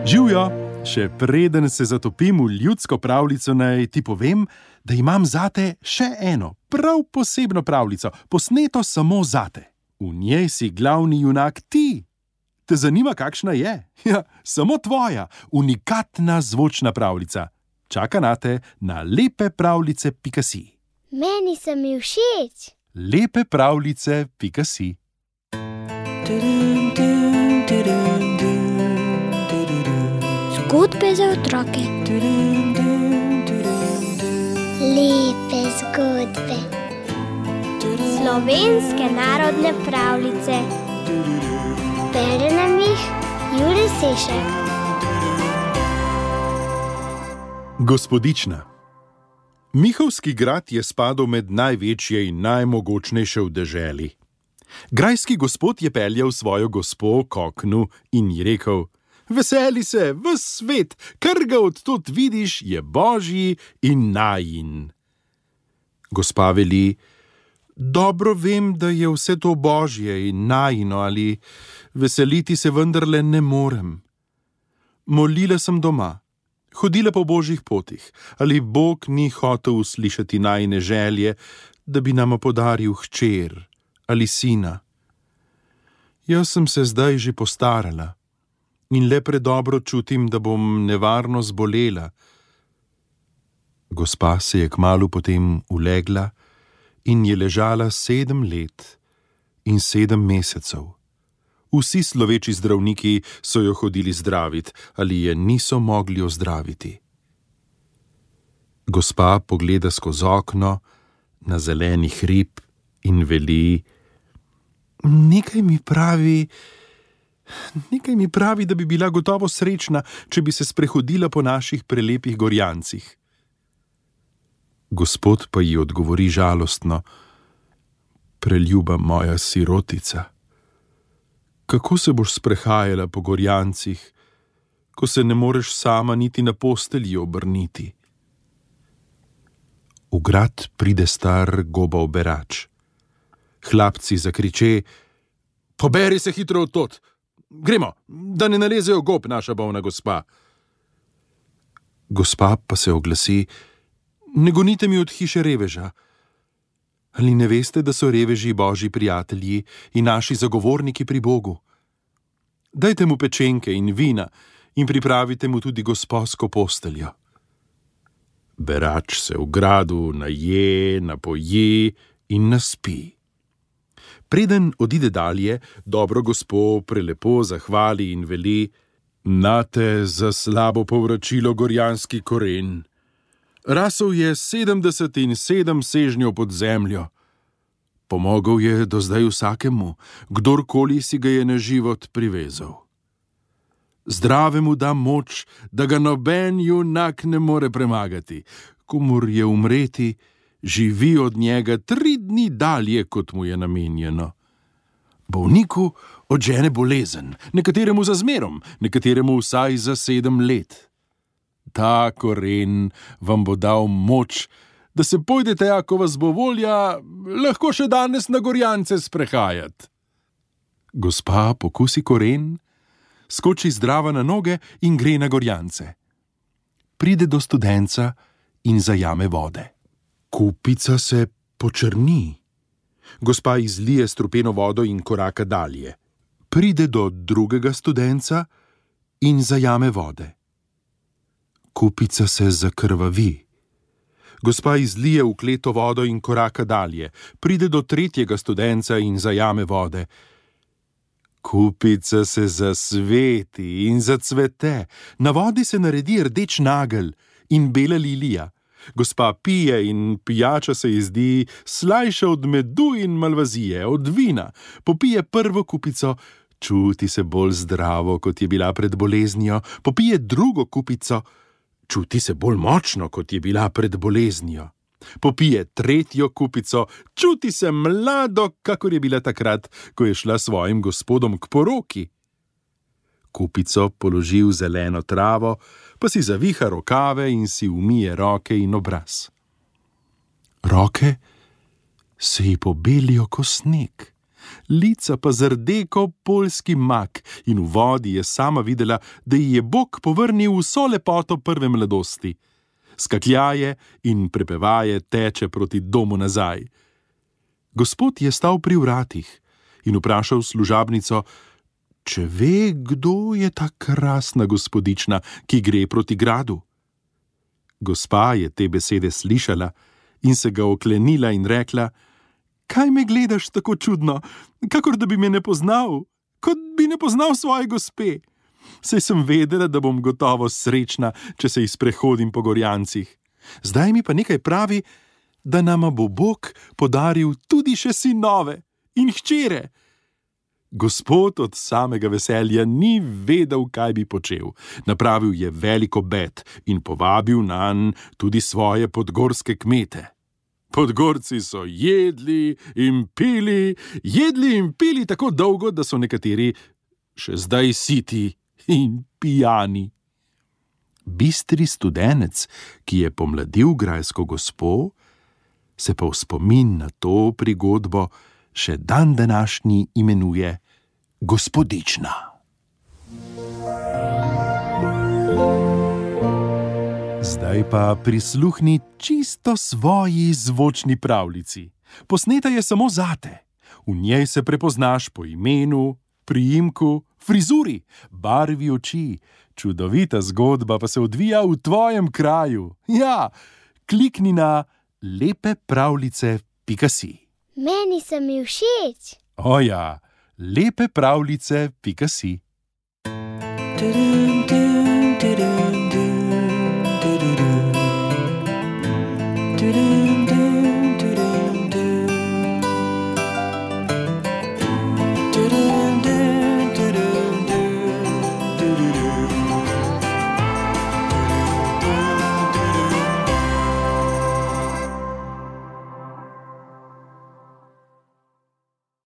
Živjo, še preden se zatopim v ljudsko pravljico, naj ti povem, da imam zate še eno, prav posebno pravljico, posneto samo zate. V njej si glavni junak ti. Te zanima, kakšna je? Ja, samo tvoja, unikatna zvočna pravljica. Čaka nate na lepepravljice.si. Meni se mi všeč. lepepravljice.si. Zgodbe za otroke. Lepe zgodbe. Slovenske narodne pravljice. Bere nam jih Jure Sešek. Gospodična. Mihovski grad je spadal med največje in najmogočnejše v deželi. Grajski gospod je peljal svojo gospo k oknu in ji rekel: Veseli se, ves svet, kar ga odtud vidiš, je božji in najin. Gospa veli: Dobro vem, da je vse to božje in najino, ali veseliti se vendarle ne morem. Molila sem doma, hodila po božjih potih, ali Bog ni hotel uslišati najine želje, da bi nama podaril hčer ali sina. Jaz sem se zdaj že postarala in le predobro čutim, da bom nevarno zbolela. Gospa se je kmalu potem ulegla in je ležala 7 let in 7 mesecev. Vsi sloveči zdravniki so jo hodili zdravit, ali je niso mogli ozdraviti. Gospa pogleda skozi okno na zeleni hrib in veli: Nekaj mi pravi, da bi bila gotovo srečna, če bi se sprehodila po naših prelepih gorjancih. Gospod pa ji odgovori žalostno: Preljuba moja sirotica, kako se boš sprehajala po gorjancih, ko se ne moreš sama niti na postelji obrniti? V grad pride star gobov berač. Hlapci zakriče: Poberi se hitro odtod! Gremo, da ne nalezejo gob naša bolna gospa. Gospa pa se oglasi: Ne gonite mi od hiše reveža. Ali ne veste, da so reveži božji prijatelji in naši zagovorniki pri Bogu? Dajte mu pečenke in vina in pripravite mu tudi gosposko posteljo. Berač se v gradu naje, napoji in naspi. Preden odide dalje, dobro gospo prelepo zahvali in veli: Nate za slabo povračilo gorjanski koren. Rasel je 77 sežnjev pod zemljo. Pomogel je do zdaj vsakemu, kdorkoli si ga je na život privezal. Zdravemu da moč, da ga noben junak ne more premagati. Komur je umreti, živi od njega 3 dni dalje, kot mu je namenjeno. Bolniku odžene bolezen, nekateremu za zmerom, nekateremu vsaj za 7 let. Ta koren vam bo dal moč, da se pojdete, ako vas bo volja, lahko še danes na gorjance sprehajati. Gospa pokusi koren, skoči zdrava na noge in gre na gorjance. Pride do studenca in zajame vode. Kupica se počrni. Gospa izlije strupeno vodo in koraka dalje. Pride do drugega studenca in zajame vode. Kupica se zakrvavi. Gospa izlije v kleto vodo in koraka dalje. Pride do tretjega studenca in zajame vode. Kupica se zasveti in zacvete. Na vodi se naredi rdeč nagelj in bela lilija. Gospa pije in pijača se ji zdi slajša od medu in malvazije, od vina. Popije prvo kupico, čuti se bolj zdravo, kot je bila pred boleznijo. Popije drugo kupico, čuti se bolj močno, kot je bila pred boleznijo. Popije tretjo kupico, čuti se mlado, kakor je bila takrat, ko je šla svojim gospodom k poroki. Kupico položi v zeleno travo, pa si zaviha rokave in si umije roke in obraz. Roke se ji pobelijo ko sneg, lica pa zrdeko poljski mak, in v vodi je sama videla, da ji je Bog povrnil vso lepoto prve mladosti. Skakljaje in prepevaje teče proti domu nazaj. Gospod je stal pri vratih in vprašal služabnico, če ve, kdo je ta krasna gospodična, ki gre proti gradu. Gospa je te besede slišala in se ga oklenila in rekla, kaj me gledaš tako čudno, kakor da bi me ne poznal, kot bi ne poznal svoje gospe. Saj sem vedela, da bom gotovo srečna, če se izprehodim po Gorjancih. Zdaj mi pa nekaj pravi, da nama bo Bog podaril tudi še sinove in hčere. Gospod od samega veselja ni vedel, kaj bi počel. Napravil je velik obed in povabil nanj tudi svoje podgorske kmete. Podgorci so jedli in pili tako dolgo, da so nekateri še zdaj siti in pijani. Bistri studenec, ki je pomladil grajsko gospo, se pa v spomin na to prigodbo še dan današnji imenuje Gospodična. Zdaj pa prisluhni čisto svoji zvočni pravljici. Posneta je samo zate. V njej se prepoznaš po imenu, priimku, frizuri, barvi oči. Čudovita zgodba pa se odvija v tvojem kraju. Ja, klikni na lepepravljice.si. Meni so mi všeč. O ja, lepepravljice.si. Do